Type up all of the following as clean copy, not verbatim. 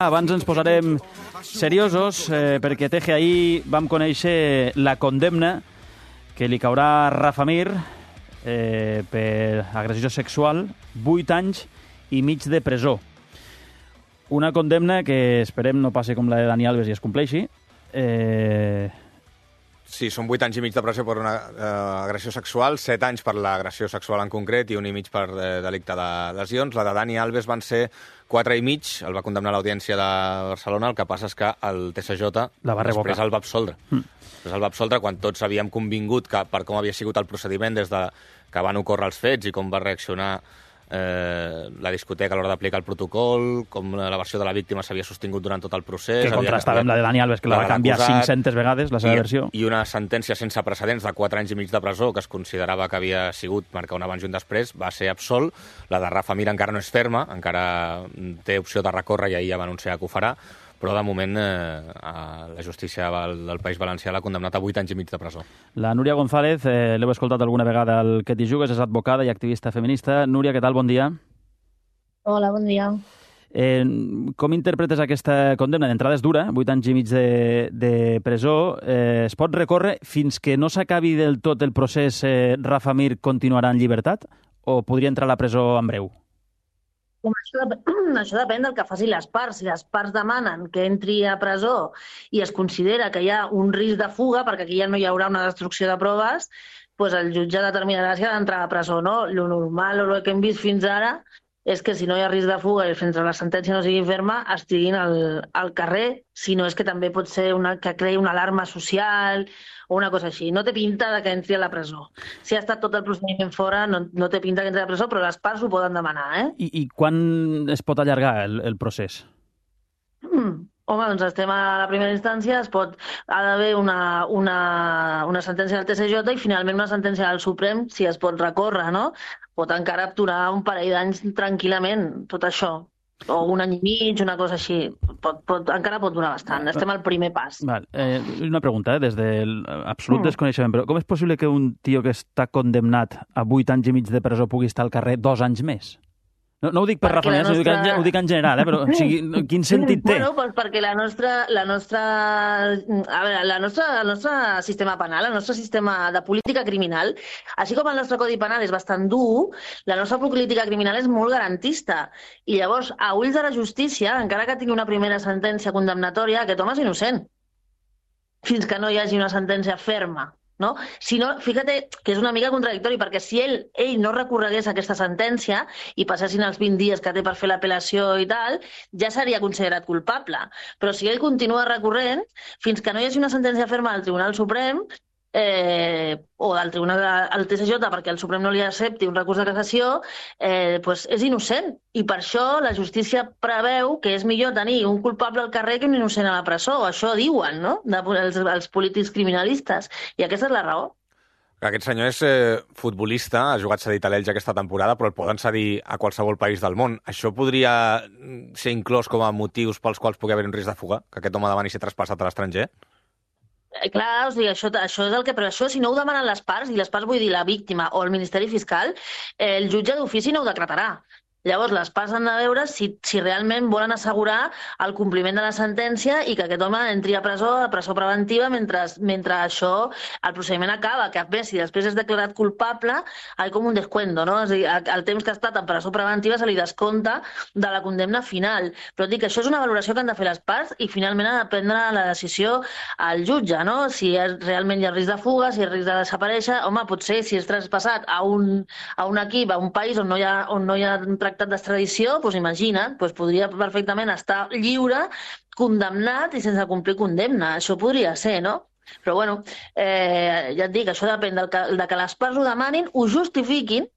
Abans ens posarem seriosos perquè Teje ahir vam conèixer la condemna que li caurà a Rafa Mir per agressió sexual, 8 anys i mig de presó. Una condemna que esperem no passi com la de Dani Alves i es compleixi. Sí, són 8 anys i mig de presó per una agressió sexual, 7 anys per l'agressió sexual en concret i 1 i mig per delicte de lesions. La de Dani Alves van ser 4 i mig, el va condemnar l'Audiència de Barcelona, el que passa és que el TSJ després el va absoldre. Després el va absoldre quan tots havíem convingut que per com havia sigut el procediment des de que van ocórrer els fets i com va reaccionar la discoteca a l'hora d'aplicar el protocol, com la versió de la víctima s'havia sostingut durant tot el procés. Que contrastava amb la de Dani Alves, que la va canviar 500 vegades, la seva versió. I una sentència sense precedents de 4 anys i mig de presó, que es considerava que havia sigut marcar un abans i un després, va ser absolt. La de Rafa Mir encara no és ferma, encara té opció de recórrer i ahir ja va anunciar que ho farà, però de moment la justícia del País Valencià l'ha condemnat a 8 anys i mig de presó. La Núria González, l'heu escoltat alguna vegada al Que t'hi jugues, és advocada i activista feminista. Núria, què tal? Bon dia. Hola, bon dia. Com interpretes aquesta condemna? D'entrada és dura, 8 anys i mig de presó. Es pot recórrer fins que no s'acabi del tot el procés? Rafa Mir continuarà en llibertat o podria entrar a la presó en breu? Això depèn del que facin les parts. Si les parts demanen que entri a presó i es considera que hi ha un risc de fuga, perquè aquí ja no hi haurà una destrucció de proves, doncs el jutge determinarà si ha d'entrar a presó o no. Lo normal o el que hem vist fins ara és que si no hi ha risc de fuga i fins que la sentència no sigui ferma, estiguin al carrer, si no és que també pot ser que creï una alarma social o una cosa així. No té pinta de que entri a la presó. Si ha estat tot el procediment fora, no té pinta que entri a la presó, però les parts ho poden demanar. I quan es pot allargar el procés? Home, doncs estem a la primera instància, ha d'haver una sentència del TSJ i finalment una sentència del Suprem, si es pot recórrer, no? Pot encara durar un parell d'anys tranquil·lament, tot això. O 1 any i mig, una cosa així. Encara pot durar bastant. Estem al primer pas. Una pregunta, des del absolut desconeixement, però com és possible que un tio que està condemnat a 8 anys i mig de presó pugui estar al carrer 2 anys més? No ho dic per Rafa Mir, ho dic en general, però o sigui, quin sentit té? Bueno, doncs perquè el nostre sistema penal, el nostre sistema de política criminal, així com el nostre codi penal és bastant dur, la nostra política criminal és molt garantista. I llavors, a ulls de la justícia, encara que tingui una primera sentència condemnatòria, aquest home és innocent, fins que no hi hagi una sentència ferma. No? Si no, fíjate que és una mica contradictori, perquè si ell no recorregués aquesta sentència i passessin els 20 dies que té per fer l'apel·lació i tal, ja seria considerat culpable. Però si ell continua recorrent, fins que no hi hagi una sentència ferma del Tribunal Suprem o del Tribunal al TSJ, perquè el Suprem no li accepti un recurs de cassació, doncs és innocent. I per això la justícia preveu que és millor tenir un culpable al carrer que un innocent a la presó. Això diuen, no?, els polítics criminalistes. I aquesta és la raó. Aquest senyor és futbolista, ha jugat cedit a l'Elx aquesta temporada, però el poden cedir a qualsevol país del món. Això podria ser inclòs com a motius pels quals pugui haver un risc de fuga? Que aquest home demani ser traspassat a l'estranger? Clar, o sigui, això és el que... Però això, si no ho demanen les parts, i les parts vull dir la víctima o el Ministeri Fiscal, el jutge d'ofici no ho decretarà. Llavors, les parts han de veure si realment volen assegurar el compliment de la sentència i que aquest home entri a presó preventiva mentre això, el procediment acaba, que a més, si després és declarat culpable, hi ha com un descuento, no? És a dir, el temps que ha estat en presó preventiva se li descompta de la condemna final. Però dic que això és una valoració que han de fer les parts i finalment ha de prendre la decisió al jutge, no? Si realment hi ha risc de fuga, si hi ha risc de desaparèixer, home, potser si és traspassat a un equip, a un país on no hi ha tractat d'extradició, doncs imagina't, doncs podria perfectament estar lliure, condemnat i sense complir condemna. Això podria ser, no? Però bueno, ja et dic, això depèn de que les parts ho demanin, ho justifiquin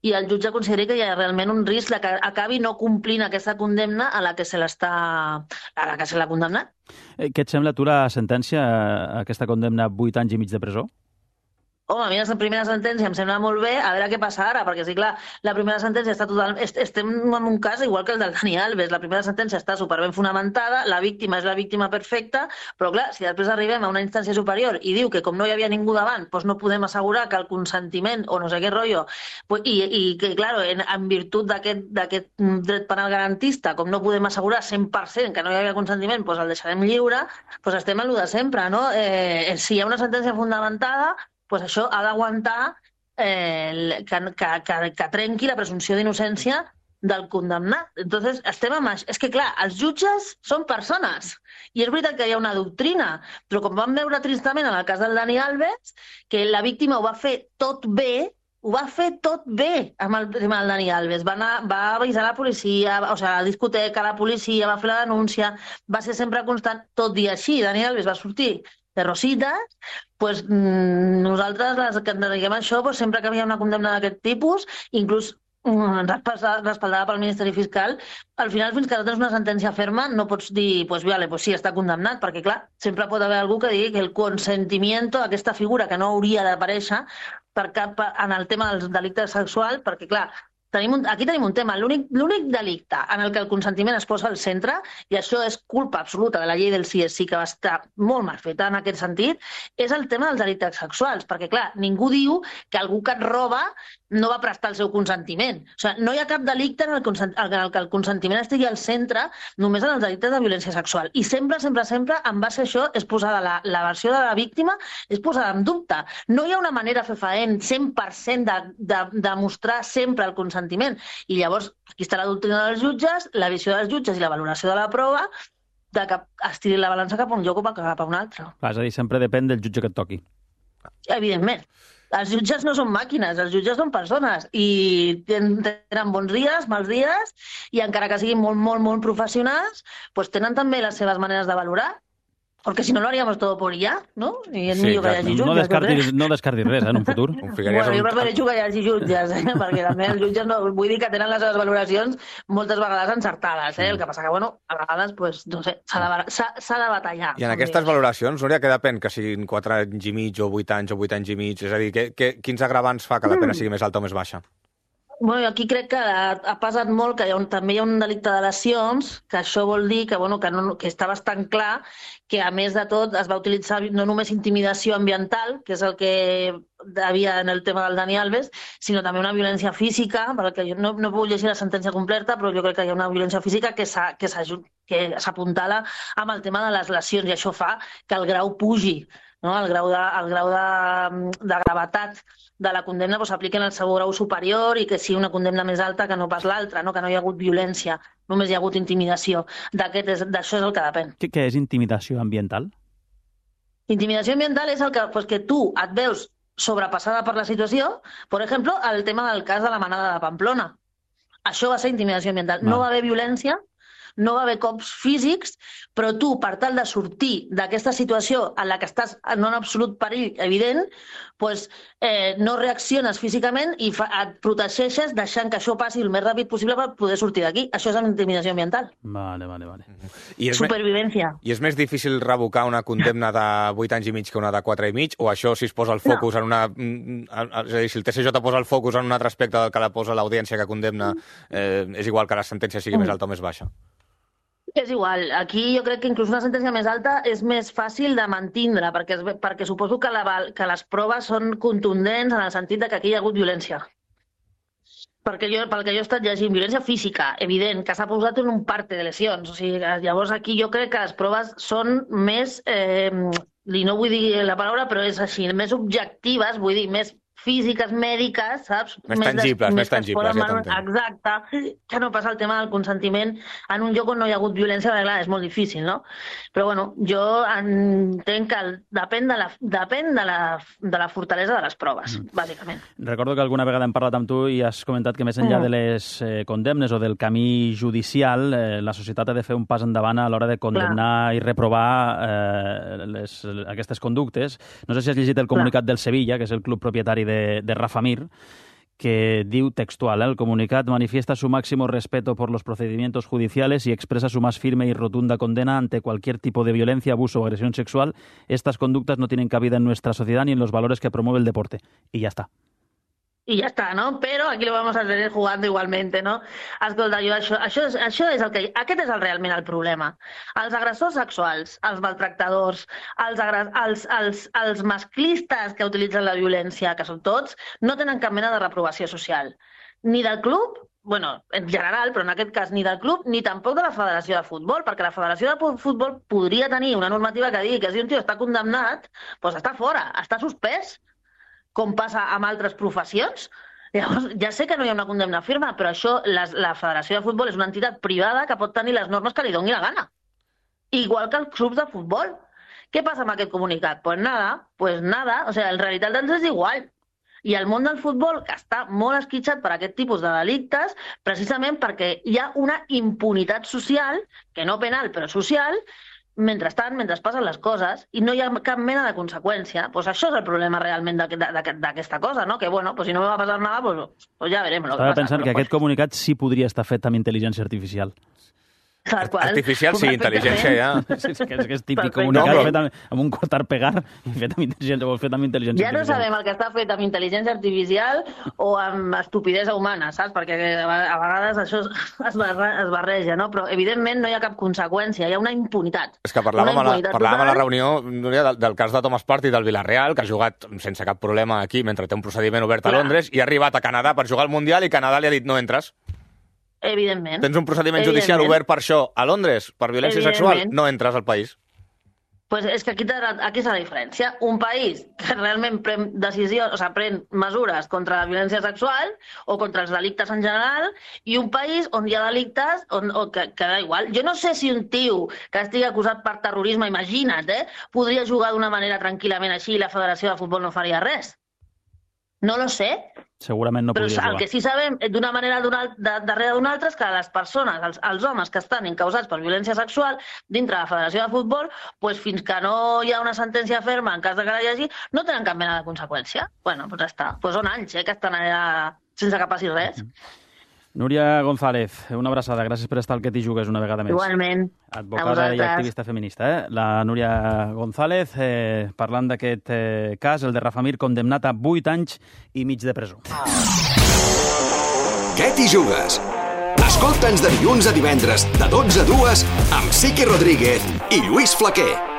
i el jutge consideri que hi ha realment un risc que acabi no complint aquesta condemna a la que se l'ha condemnat. Què et sembla tu la sentència, aquesta condemna a 8 anys i mig de presó? Home, a mi la primera sentència em sembla molt bé, a veure què passa ara, perquè sí, clar, la primera sentència està total... Estem en un cas igual que el del Dani Alves, la primera sentència està superben fonamentada, la víctima és la víctima perfecta, però clar, si després arribem a una instància superior i diu que com no hi havia ningú davant, doncs no podem assegurar que el consentiment o no sé què rotllo, i que, clar, en virtut d'aquest dret penal garantista, com no podem assegurar 100% que no hi havia consentiment, doncs el deixarem lliure, doncs estem en el de sempre, no? Si hi ha una sentència fundamentada, pues això ha d'aguantar que trenqui la presumpció d'innocència del condemnat. Entonces, estem amb això. És que, clar, els jutges són persones. I és veritat que hi ha una doctrina, però com vam veure tristament en el cas del Dani Alves, que la víctima ho va fer tot bé, amb el tema del Dani Alves. Va avisar la policia, o sigui, a la discoteca, la policia, va fer la denúncia, va ser sempre constant, tot i així. Dani Alves va sortir de rosites, pues, nosaltres, les que ens dediquem a això, pues, sempre que hi ha una condemna d'aquest tipus, inclús respaldada pel Ministeri Fiscal, al final, fins que no tens una sentència ferma, no pots dir, pues, vale, pues sí, està condemnat, perquè, clar, sempre pot haver algú que digui que el consentimiento, aquesta figura que no hauria d'aparèixer en el tema dels delictes sexuals, perquè, clar, aquí tenim un tema. L'únic delicte en el que el consentiment es posa al centre, i això és culpa absoluta de la llei del sí és sí, que va estar molt mal feta en aquest sentit, és el tema dels delictes sexuals. Perquè, clar, ningú diu que algú que et roba no va prestar el seu consentiment. O sigui, no hi ha cap delicte en el que el consentiment estigui al centre, només en els delictes de violència sexual. I sempre, en base a això, és posada la versió de la víctima, és posada en dubte. No hi ha una manera fefaent 100% de mostrar sempre el consentiment. I llavors, aquí està la doctrina dels jutges, la visió dels jutges i la valoració de la prova, de que estiri la balança cap a un lloc o cap a un altre. És a dir, sempre depèn del jutge que et toqui. Evidentment. Els jutges no són màquines, els jutges són persones i tenen bons dies, mals dies, i encara que siguin molt, molt, molt professionals, doncs tenen també les seves maneres de valorar. Porque si no lo haríamos todo por IA, ¿no? I és millor que hi hagi jutges. No descartis res, en un futur. Bueno, jo prefereixo que hi hagi jutges, perquè també els jutges vull dir que tenen les seves valoracions moltes vegades encertades, el que passa que, bueno, a vegades, pues, no sé, s'ha de batallar. I en aquestes valoracions, Núria, què depèn? Que siguin 4 anys i mig o 8 anys o 8 anys i mig? És a dir, quins agravants fa que la pena sigui més alta o més baixa? Bueno, aquí crec que ha pesat molt que també hi ha un delicte de lesions, que això vol dir que, bueno, que està bastant clar que, a més de tot, es va utilitzar no només intimidació ambiental, que és el que hi havia en el tema del Dani Alves, sinó també una violència física, perquè jo no puc llegir la sentència completa, però jo crec que hi ha una violència física que s'apuntala amb el tema de les lesions, i això fa que el grau pugi, no? El grau de gravetat de la condemna s'apliquen al seu grau superior i que sigui una condemna més alta que no pas l'altra, no? Que no hi ha hagut violència, només hi ha hagut intimidació. D'això és el que depèn. Què és intimidació ambiental? Intimidació ambiental és el que tu et veus sobrepassada per la situació. Per exemple, el tema del cas de la manada de Pamplona. Això va ser intimidació ambiental. No va haver violència, no va haver cops físics, però tu, per tal de sortir d'aquesta situació en la que estàs en un absolut perill evident, doncs, no reacciones físicament i et protegeixes deixant que això passi el més ràpid possible per poder sortir d'aquí. Això és intimidació ambiental. Vale. Supervivència. I és més difícil revocar una condemna de 8 anys i mig que una de 4 i mig? O això, si es posa el focus en una... És a dir, si el TSJ posa el focus en un altre aspecte del que la posa l'audiència que condemna, és igual que la sentència sigui més alta o més baixa? És igual. Aquí jo crec que inclús una sentència més alta és més fàcil de mantindre, perquè suposo que les proves són contundents en el sentit de que aquí hi ha hagut violència. Pel que jo he estat llegint, violència física, evident, que s'ha posat en un parte de lesions. O sigui, llavors aquí jo crec que les proves són més, i no vull dir la paraula, però és així, més objectives, vull dir, més físiques, mèdiques, saps? Més tangibles, ja t'entenc. Exacte, que no passa el tema del consentiment en un lloc on no hi ha hagut violència, perquè clar, és molt difícil, no? Però bueno, jo entenc que depèn de la fortalesa de les proves, bàsicament. Recordo que alguna vegada hem parlat amb tu i has comentat que més enllà de les condemnes o del camí judicial, la societat ha de fer un pas endavant a l'hora de condemnar i reprovar aquestes conductes. No sé si has llegit el comunicat del Sevilla, que és el club propietari de Rafa Mir, que diu textual, el comunicat manifiesta su máximo respeto por los procedimientos judiciales y expresa su más firme y rotunda condena ante cualquier tipo de violencia, abuso o agresión sexual. Estas conductas no tienen cabida en nuestra sociedad ni en los valores que promueve el deporte. Y ya está. I ja està, no? Però aquí lo vamos a seguir jugando igualmente, no? Escolta, això és el que... Aquest és realment el problema. Els agressors sexuals, els maltractadors, els masclistes que utilitzen la violència, que són tots, no tenen cap mena de reprovació social. Ni del club, bueno, en general, però en aquest cas ni del club, ni tampoc de la Federació de Futbol, perquè la Federació de Futbol podria tenir una normativa que digui que si un tio està condemnat, doncs està fora, està suspès, com passa amb altres professions. Llavors, ja sé que no hi ha una condemna firme, però això, la Federació de Futbol és una entitat privada que pot tenir les normes que li doni la gana. Igual que els clubs de futbol. Què passa amb aquest comunicat? Pues nada, o sea, en realitat ens és igual. I el món del futbol, que està molt esquitxat per aquest tipus de delictes, precisament perquè hi ha una impunitat social, que no penal, però social, mentre passen les coses i no hi ha cap mena de conseqüència. Pues això és el problema realment d'aquesta cosa, no? Que, bueno, pues si no me va passar nada, pues ja verem. Estava pensant que aquest comunicat sí podria estar fet amb intel·ligència artificial. Artificial, sí, intel·ligència ja. És que és típic comunicat fet amb un cortar-pegar i fet amb intel·ligència ja no sabem el que està fet amb intel·ligència artificial o amb estupidesa humana, saps? Perquè a vegades això es barreja, no? Però evidentment no hi ha cap conseqüència, hi ha una impunitat. És que parlàvem a la reunió del cas de Thomas Partey del Villarreal, que ha jugat sense cap problema aquí mentre té un procediment obert a Londres i ha arribat a Canadà per jugar al Mundial i Canadà li ha dit no entres. Evidentment. Tens un procediment judicial obert per això a Londres, per violència sexual, no entres al país. Pues és que aquí és la diferència. Un país que realment pren decisions, o sigui, pren mesures contra la violència sexual o contra els delictes en general, i un país on hi ha delictes que da igual. Jo no sé si un tio que estigui acusat per terrorisme, imagina't, podria jugar d'una manera tranquil·lament així i la Federació de Futbol no faria res. No lo sé. Segurament no podria jugar. Però el que sí sabem d'una manera darrere d'una altra és que les persones, els homes que estan encausats per violència sexual dintre de la Federació de Futbol, pues fins que no hi ha una sentència ferma en cas de que hi hagi, no tenen cap mena de conseqüència. Bueno, doncs ja està. Pues són anys que estan allà sense que passi res. Núria González, una abraçada. Gràcies per estar al Que t'hi jugues una vegada més. Igualment. Advocada i activista feminista. La Núria González, parlant d'aquest cas, el de Rafa Mir, condemnat a 8 anys i mig de presó. Què t'hi jugues? Escolta'ns de dilluns a divendres, de 12 a 2, amb Sique Rodríguez i Lluís Flaquer.